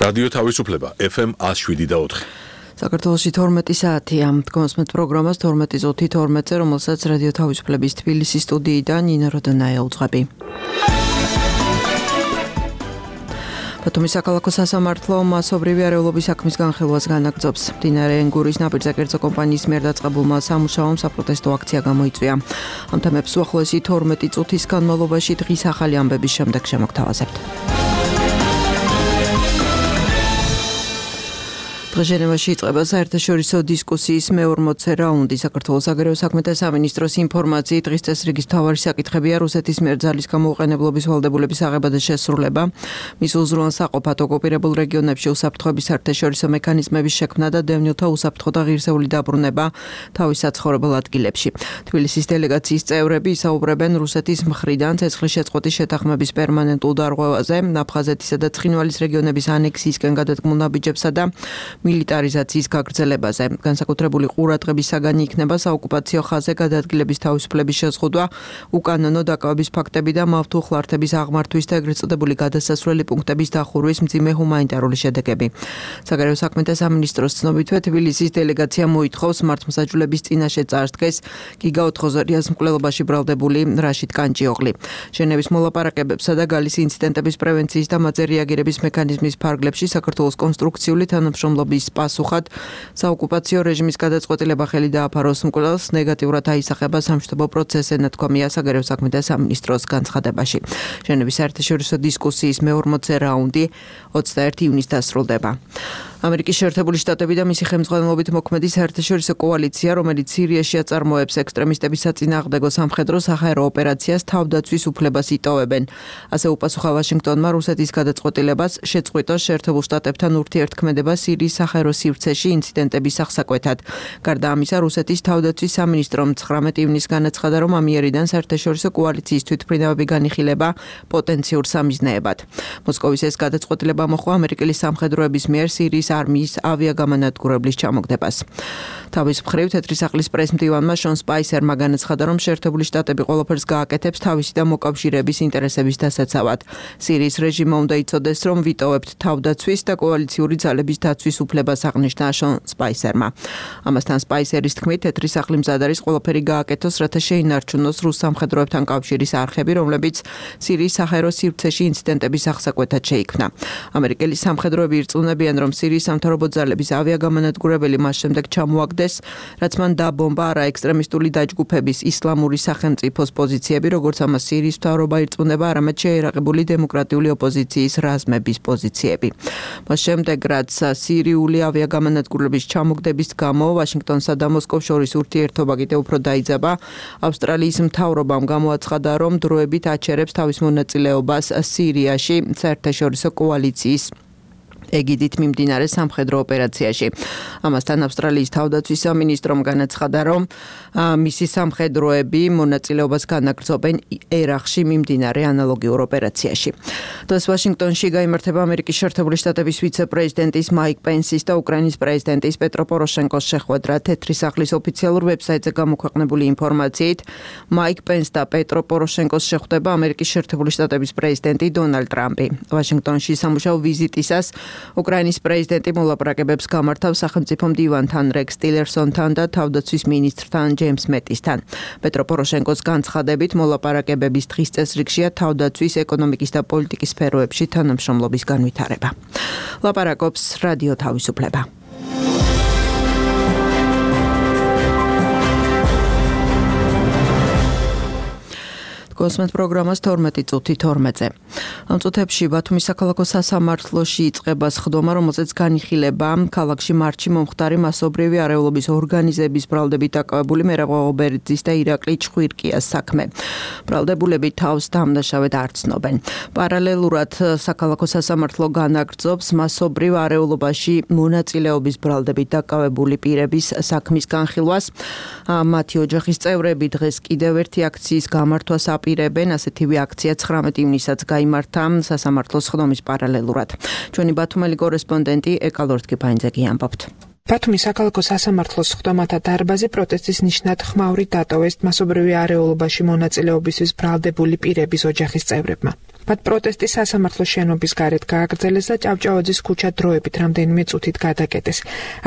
რადიო თავისუფლება FM 107.4. საქართველოში 12 საათია. დგომს მე პროგრამას 12:12-ზე, რომელსაც რადიო თავისუფლების თბილისის სტუდიიდან ნინო როდონაია უძღვები. ბათუმის საქალაქო სასამართლო მასობრივი არეულობის საქმის განხილვას განაგრძობს. მდინარე ენგურის ნაპირზე კერძო კომპანიის მიერ დაწყებულმა სამუშაომ საპროტესტო აქცია გამოიწვია. ამ თემებს უახლოესი 12 წუთის განმავლობაში დღის ახალი ამბების შემდეგ შემოგთავაზებთ. ჟენევაში იწყება საერთაშორისო დისკუსიის მე-40 რაუნდი. საქართველოს საგარეო საქმეთა სამინისტროს ინფორმაციით დღის წესრიგის მთავარი საკითხებია რუსეთის მიერ ძალის გამოუყენებლობის ვალდებულების აღება და შესრულება, მის უზრუნველს აყოფათ ოკუპირებულ რეგიონებში უსაფრთხოების საერთაშორისო მექანიზმების შექმნა და დევნილთა უსაფრთხო და ღირსეული დაბრუნება თავის საცხოვრებელ ადგილებში. თბილისის დელეგაციის წევრები ისაუბრებენ რუსეთის მხრიდან ცეცხლის შეწყვეტის შეთანხმების პერმანენტულ დარღვევაზე, აფხაზეთისა და ცხინვალის რეგიონების ანექსიისკენ გადადგმულ ნაბიჯებსა და მილიტარიზაციის გაგრძელებაზე. განსაკუთრებული ყურადღების საგანი იქნება საოკუპაციო ხაზზე გადადგილების თავისუფლების შეზღუდვა, უკანონო დაკავების ფაქტები და მავთუხლართების აღმართვის და ეგრეთ წოდებული გადასასვლელი პუნქტების დახურვის მძიმე ჰუმანიტარული შედეგები. საგარეო საქმეთა სამინისტროს ცნობითვე თბილისის დელეგაცია მოითხოვს მართლმსაჯულების წინაშე წარსდგეს გიგა ოთხოზორიას მკვლელობაში ბრალდებული რაშიდ კანჭიოღლი. ჟენევის მოლაპარაკებებსა და გალის ინციდენტების პრევენციის და მათზე რეაგირების მექანიზმის ფარგლებში საქართველოს კონსტრუქციული თანამშრომლობის პასუხად საოკუპაციო რეჟიმის გადაწყვეტილება ხელი დააფაროს მკვლელს ნეგატიურად აისახება სამშვიდობო პროცესი, ნათქვამია საგარეო საქმეთა სამინისტროს განცხადებაში. ჟენევის საერთაშორისო დისკუსიის მე-40 რაუნდი 21 ივნისს დასრულდება. ამერიკის შეერთებული შტატები და მისი ხელმძღვანელობით მოქმედი საერთაშორისო კოალიცია, რომელიც სირიაში აწარმოებს ექსტრემისტების საწინააღმდეგო სამხედრო საჰაერო ოპერაციას, თავდაცვის უფლებას იტოვებენ. ასე უპასუხა ვაშინგტონმა რუსეთის გადაწყვეტილებას შეწყვიტოს შეერთებულ შტატებთან ურთიერთქმედება სირიის საჰაერო სივრცეში ინციდენტების აღსაკვეთად. გარდა ამისა, რუსეთის თავდაცვის სამინისტრომ 19 ივნისს განაცხადა, რომ ამ იერიდან საერთაშორისო კოალიციის თვითმფრინავები განიხილება პოტენციურ სამიზნეებად. მოსკოვის ეს გადაწყვეტილება მოჰყვა ამერიკელი სამხედროების მიერ სირიის არმიის ავიაგამანადგურებლის ჩამოგდებას. თავის მხრივ თეთრი სახლის პრესმდივანმა შონ სპაისერმა განაცხადა, რომ შეერთებული შტატები ყველაფერს გააკეთებს თავისი და მოკავშირეების ინტერესების დასაცავად. სირიის რეჟიმმა უნდა იცოდეს, რომ ვიტოვებთ თავდაცვის და კოალიციური ძალების დაცვის უფლებას, აღნიშნა შონ სპაისერმა. ამასთან სპაისერის თქმით, თეთრი სახლი მზად არის ყველაფერი გააკეთოს, რათა შეინარჩუნოს რუს სამხედროებთან კავშირის არხები, რომლებიც სირიის საჰაერო სივრცეში ინციდენტების აღსაკვეთად შეიქმნა. ამერიკელი სამხედროები ირწმუნებიან, რომ სირიის სამთავრობო ძალების ავიაგამანადგურებელი მას შემდეგ ჩამოაგდეს, რაც მან დაბომბა არაექსტრემისტული დაჯგუფების ისლამური სახელმწიფოს პოზიციები, როგორც ამას სირიის მთავრობა ირწმუნება, არამედ შეერაღებული დემოკრატიული ოპოზიციის რაზმების პოზიციები. მას შემდეგ, რაც სირიული ავიაგამანადგურების ჩამოგდების გამო ვაშინგტონსა და მოსკოვს შორის ურთიერთობა კიდევ უფრო დაიძაბა, ავსტრალიის მთავრობამ გამოაცხადა, რომ დროებით აჩერებს თავის მონაწილეობას სირიაში საერთაშორისო კოალიციის ეგიდით მიმდინარე სამხედრო ოპერაციაში. ამასთან ავსტრალიის თავდაცვის სამინისტრომ განაცხადა, რომ მისი სამხედროები მონაწილეობას განაგრძობენ ერაყში მიმდინარე ანალოგიურ ოპერაციაში. დღეს ვაშინგტონში გაიმართება ამერიკის შეერთებული შტატების ვიცე-პრეზიდენტის მაიკ პენსის და უკრაინის პრეზიდენტის პეტრო პოროშენკოს შეხვედრა. თეთრი სახლის ოფიციალურ ვებსაიტზე გამოქვეყნებული ინფორმაციით, მაიკ პენს და პეტრო პოროშენკოს შეხვდება ამერიკის შეერთებული შტატების პრეზიდენტი დონალდ ტრამპი. ვაშინგტონში სამუშაო ვიზიტისას უკრაინის პრეზიდენტი მოლაპარაკებებს გამართავს სახელმწიფო მდივანთან რეკს ტილერსონთან და თავდაცვის მინისტრთან ჯეიმს მეტისთან. პეტრო პოროშენკოს განცხადებით მოლაპარაკებების დღის წესრიგშია თავდაცვის, ეკონომიკის და პოლიტიკის სფეროებში თანამშრომლობის განვითარება. ლაპარაკობს რადიო თავისუფლება. კოსმეთ პროგრამას 12:12-ზე. ამ წუთებში ბათუმის საქალაქო სასამართლოში იწყება სხდომა, რომელზეც განიხილება ქალაქში მარტში მომხდარი მასობრივი არეულობის ორგანიზების ბრალდებით დაკავებული მერაბ ღობერძის და ირაკლი ჩხვირკიას საქმე. ბრალდებულები თავს დამნაშავედ არ ცნობენ. პარალელურად საქალაქო სასამართლო განაგრძობს მასობრივ არეულობაში მონაწილეობის ბრალდებით დაკავებული პირების საქმის განხილვას. მათი ოჯახის წევრები დღეს კიდევ ერთი აქციის გამართვას აპირებენ. ასეთივე აქცია 19 ივნისსაც გაიმართა სასამართლოს სხდომის პარალელურად. ჩვენი ბათუმელი კორესპონდენტი ეკალორთკიფაინძე ამბობთ. ბათუმის საქალაქო სასამართლოს სხდომათა დარბაზი პროტესტის ნიშნად ხმაურით დატოვეს მასობრივი არეულობაში მონაწილეობისთვის ბრალდებული პირების ოჯახის წევრებმა. მათ პროტესტი სასამართლოს შენობის გარეთ გააგრძელეს და ჭავჭავაძის ქუჩა დროებით რამდენიმე წუთით გადაკეტეს.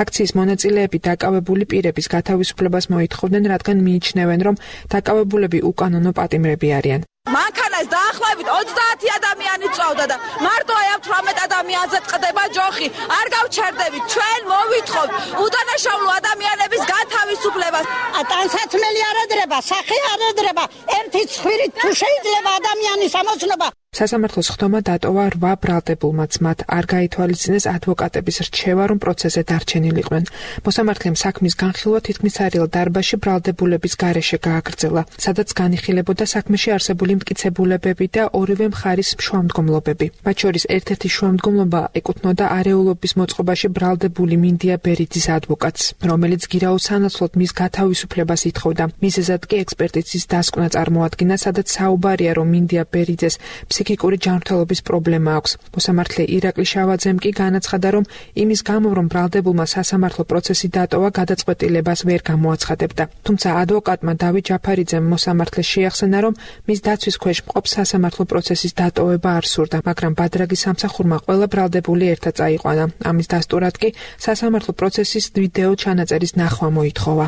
აქციის მონაწილეები დაკავებული პირების გათავისუფლებას მოითხოვდნენ, რადგან მიიჩნევენ, რომ დაკავებულები უკანონო პატიმრები არიან. მანქანას დაახლოებით 30 ადამიანი წავდა და მარტო აი 18 ადამიანზე წდება ჯოხი. არ გავჩერდებით, ჩვენ მოვითხოვთ უდანაშაულო ადამიანების გათავისუფლებას. ტანსაცმელი არ ედრება, სახე არ ედრება, ერთი ცხვირით თუ შეიძლება ადამიანის ამოცნობა. სასამართლოს ხდომა დატოვა 8 ბრალდებულმაც, მათ არ გაითვალისწინეს ადვოკატების რჩევა, რომ პროცესზე დარჩენილიყვნენ. მოსამართლემ საქმის განხილვა თითქმის სარიელ დარბაზში ბრალდებულების გარეშე გააგრძელა, სადაც განიხილებოდა საქმეში არსებული მტკიცებულებები და ორივე მხარის შუამდგომლობები. მათ შორის ერთ-ერთი შუამდგომლობა ეკუთვნოდა არეულობის მოწყობაში ბრალდებული მინდია ბერიძის ადვოკატს, რომელიც გირაოს სანაცვლოდ მის გათავისუფლებას ითხოვდა. მიზეზად კი ექსპერტიზის დასკვნა წარმოადგინა, სადაც საუბარია, რომ მინდია ბერიძეს ფსიქიკური ჯანმრთელობის პრობლემა აქვს. მოსამართლე ირაკლი შავაძემ კი განაცხადა, რომ იმის გამო, რომ ბრალდებულმა სასამართლო პროცესი დატოვა, გადაწყვეტილებას ვერ გამოაცხადებდა. თუმცა ადვოკატმა დავით ჯაფარიძემ მოსამართლეს შეახსენა, რომ მის დაცვის ქვეშ მყოფ სასამართლო პროცესის დატოვება არ სურდა, მაგრამ ბადრაგის სამსახურმა ყველა ბრალდებული ერთად წაიყვანა. ამის დასტურად კი სასამართლო პროცესის ვიდეო ჩანაწერის ნახვა მოითხოვა.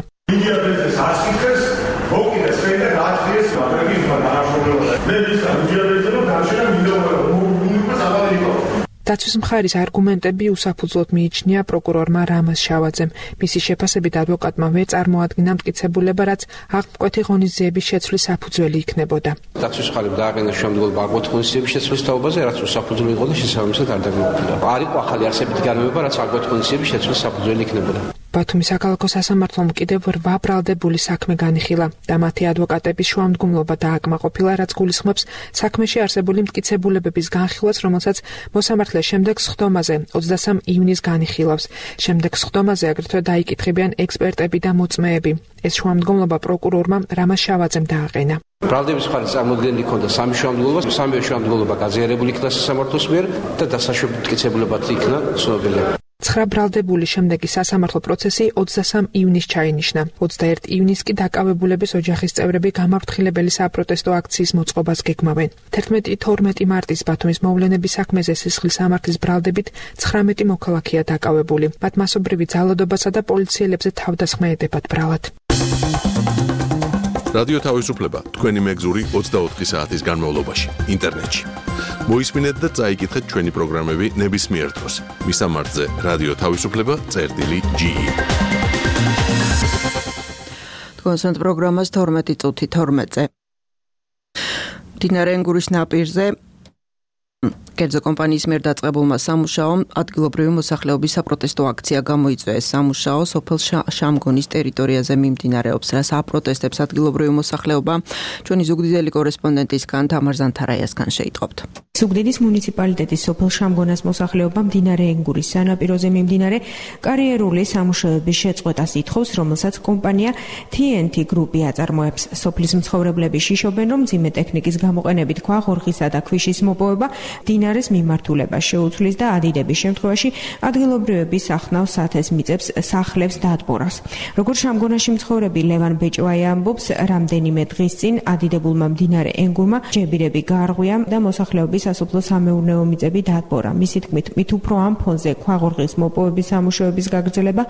დაცვის მხარის არგუმენტები უსაფუძვლოდ მიიჩნია პროკურორმა რამაზ შავაძემ. მისი შეფასებით ადვოკატმა ვერ წარმოადგინა მტკიცებულება, რაც აღმკვეთი ღონისძიების შეცვლის საფუძველი იქნებოდა. დაცვის მხარემ დააყენა შემდგომ აღმკვეთი ღონისძიების შეცვლის თაობაზე, რაც უსაფუძვლო იყო და შესაბამისად არ დაგმოკვდა. არ იყო ახალი არსებითი განმეორება, რაც აღმკვეთი ღონისძიების შეცვლის საფუძველი იქნებოდა. ბათუმის საქალაქო სასამართლომ კიდევ 8 ბრალდებული საქმე განიხილა და მათი ადვოკატების შუამდგომლობა დააკმაყოფილა, რაც გულისხმობს საქმეში არსებული მტკიცებულებების განხილვას, რომელსაც მოსამართლე შემდეგ სხდომაზე 23 ივნისს განიხილავს. შემდეგ სხდომაზე აგრეთვე დაიკითხებიან ექსპერტები და მოწმეები. ეს შუამდგომლობა პროკურორმა რამაზ შავაძემ დააყენა. ბრალდების მხარეს წარმოდგენილი ჰქონდა 3 შუამდგომლობა, 3 შუამდგომლობა გაზიარებული იქნა სასამართლოს მიერ და დასაშვები მტკიცებულებად იქნა ცნობილი. 9 ბრალდებული შემდეგი სასამართლო პროცესი 23 ივნისს ჩაინიშნა. 21 ივნისს კი დაკავებულების ოჯახის წევრები გამაფრთხილებელი საპროტესტო აქციის მოწყობას გეგმავენ. 11-12 მარტის ბათუმის მოვლენების საქმეზე სისხლის სამართლის ბრალდებით 19 მოქალაქეა დაკავებული. მათ მასობრივი ძალადობასა და პოლიციელებზე თავდასხმა ედებათ ბრალად. რადიო თავისუფლება თქვენი მეგზური 24 საათის განმავლობაში ინტერნეტში. მოისმინეთ და წაიკითხეთ ჩვენი პროგრამები ნებისმიერ დროს. მისამართზე რადიო თავისუფლება.ge. თქვენს პროგრამას 12:12-ზე. მდინარე ენგურის ნაპირზე კერძო კომპანიის მიერ დაწყებულმა სამუშაომ ადგილობრივი მოსახლეობის საპროტესტო აქცია გამოიწვია. ეს სამუშაო სოფელ შამგონის ტერიტორიაზე მიმდინარეობს, რაც აპროტესტებს ადგილობრივი მოსახლეობა. ჩვენი ზუგდიდელი კორესპონდენტისგან თამარ ზანთარაიასგან შეიტყობთ. ზუგდიდის მუნიციპალიტეტის სოფელ შამგონას მოსახლეობა მდინარე ენგურის სანაპიროზე მიმდინარე კარიერული სამუშაოების შეწყვეტას ითხოვს, რომელსაც კომპანია TNT Group-ი აწარმოებს. სოფლის მცხოვრებლები შიშობენ, რომ მძიმე ტექნიკის გამოყენებით ქვაღორღისა და ქვიშის მოპოვება მდინარეს მიმართულებას შეუცვლის და ადიდების შემთხვევაში ადგილობრივები სახნავს სათეს მიწებს სახლებს დადბორას. როგორც შამგონაში მცხოვრები ლევან ბეჭვაია ამბობს, რამდენიმე დღის წინ ადიდებულმა მდინარე ენგურმა ჯებირები გაარღვია და მოსახლეობის სასოფლო სამეურნეო მიწები დადბორა. მისი თქმით, მით უფრო ამ ფონზე ქვაღორღის მოპოვების სამუშაოების გაგრძელება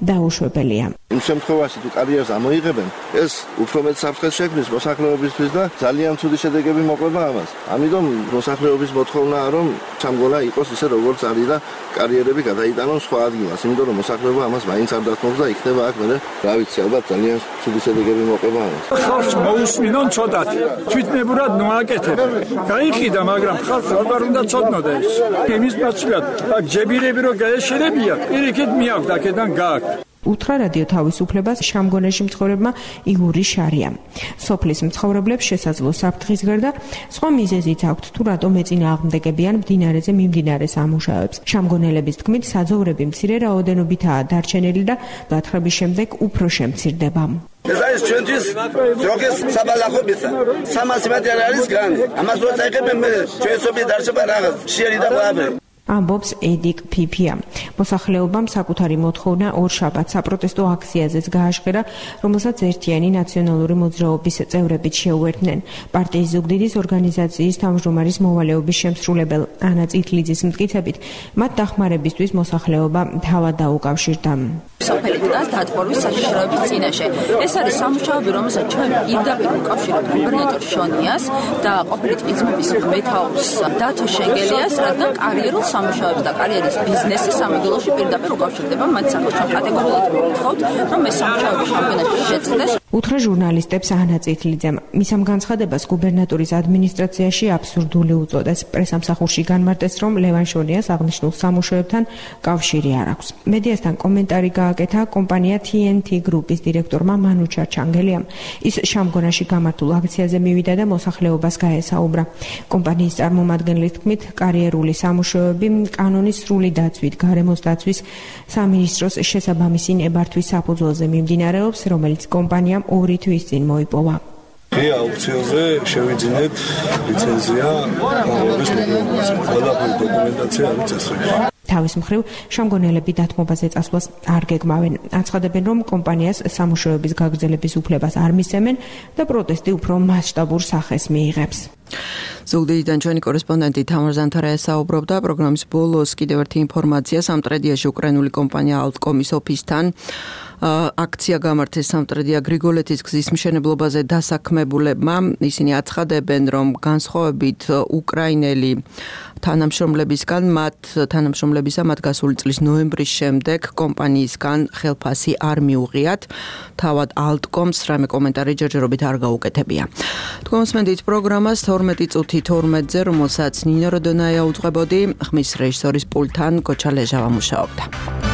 დაუშვებელია. იმ შემთხვევაში თუ კარიერას ამოიღებენ, ეს უფრო მეტ საფრთხეს შექმნის მოსახლეობისთვის და ძალიან ცუდი შედეგები მოყვება ამას. ამიტომ მოსახლეობის მოთხოვნაა, რომ შამგონა იყოს ისე როგორც არის და კარიერები გადაიტანონ სხვა ადგილას, იმიტომ რომ მოსახლეობა ამას მაინც არ დათმობს და იქნება აქ მერე, რა ვიცი, ალბათ ძალიან ცუდი შედეგები მოყვება ამას. ხალხს მოусმინონ ცოტათი. თვითნებურად ნოაკეთებენ. გაიყიდა, მაგრამ ხალხს არ უნდა ცოდნოდა ეს. იმის ნაცვლად, აქ ჯებირები რო გაეშენებია, პირიქით მიაქვთ აქედან გააქვთ. უთხრა რადიო თავისუფლებას შამგონაში მცხოვრებმა იგორი შარიამ. სოფლის მცხოვრებლებს შესაძლო საფრთხის გარდა სხვა მიზეზიც აქვთ, თუ რატომ ეწინააღმდეგებიან მდინარეზე მიმდინარე სამუშაოებს. შამგონელების თქმით, საძოვრები მცირე რაოდენობითაა დარჩენილი და გათხრების შემდეგ უფრო შემცირდება. ეს არის ჩვენთვის დროგის საბალახობისა. 300 მეტრი არის გრანი. ამას რო წაიღებენ მე ჩვენ სოფლის დარჩება რაღაც შიერი და ყველაფერი. ამბობს ედიკ ფიფია. მოსახლეობამ საკუთარი მოთხოვნა ორშაბათს საპროტესტო აქციაზეც გააშხირა, რომელსაც ერთიანი ნაციონალური მოძრაობის წევრებიც შეუერთდნენ. პარტიის ზუგდიდის ორგანიზაციის თავმჯდომარის მოვალეობის შემსრულებელ ანა წითლიძის მტკიცებით, მათ დახმარებისთვის მოსახლეობა თავად დაუკავშირდა. სოფელი დგას დატბორვის საშიშროების წინაშე. ეს არის სამუშაოები, რომელსაც ჩვენ პირდაპირ უკავშირებთ გუბერნატორ შონიას და ყოფილი ტყეწმების მეთაურს დათო შენგელიას, რადგან კარიერულ სამუშაოებს და კარიერის ბიზნესის სამეგრელოში პირდაპირ უკავშირდება. მათ სახელს ჩვენ კატეგორიულად ვთხოვთ, რომ ეს სამუშაოები შამპიონატში შეწყდეს. უთხრა ჟურნალისტებს ანა წითლიძემ. მის ამ განცხადებას გუბერნატორის ადმინისტრაციაში აბსურდული უწოდეს. პრესამსახურში განმარტეს, რომ ლევან შონიას აღნიშნულ სამუშაოებთან კავშირი არ აქვს. მედიასთან კომენტარი გააკეთა კომპანია TNT გრუპის დირექტორმა მანუ ჩარჩანგელიამ. ის შამგონაში გამართულ აქციაზე მივიდა და მოსახლეობას გაესაუბრა. კომპანიის წარმომადგენლის თქმით, კარიერული სამუშაოები კანონის სრული დაცვით, გარემოს დაცვის სამინისტროს შესაბამისი ნებართვის საფუძველზე მიმდინარეობს, რომელიც კომპანიამ 2 თვის წინ მოიპოვა. ღია აუქციონზე შევიძინეთ ლიცენზია გამოვლის მოგებაზე. ყველაფერი დოკუმენტაცია არის წესრიგში. თავის მხრივ შამგონელები დათმობაზე წასვლას არ გეგმავენ. აცხადებენ, რომ კომპანიას სამუშაოების გაგრძელების უფლებას არ მისცემენ და პროტესტი უფრო მასშტაბურ სახეს მიიღებს. ზუგდიდიდან ჩვენი კორესპონდენტი თამარ ზანთარა საუბრობდა პროგრამის ბოლოს კიდევ ერთი ინფორმაცია სამტრედიაში უკრაინული კომპანია ალტკომის ოფისთან აქცია გამართეს სამტრედია გრიგოლეთის გზის მშენებლობაზე დასაქმებულებმა. ისინი აცხადებენ, რომ განსხვავებით უკრაინელი თანამშრომლებისგან მათ გასული წლის ნოემბრის შემდეგ კომპანიისგან ხელფასი არ მიუღიათ. თავად ალტკომს რამე კომენტარი ჯერჯერობით არ გაუკეთებია. თქვენ მოსმენთ პროგრამას 12 წუთი 12-ზე, რომელსაც ნინო როდონაია უძღვებოდი, ხმის რეჟისორის პულტთან გოჩა ლეჟავა მუშაობდა.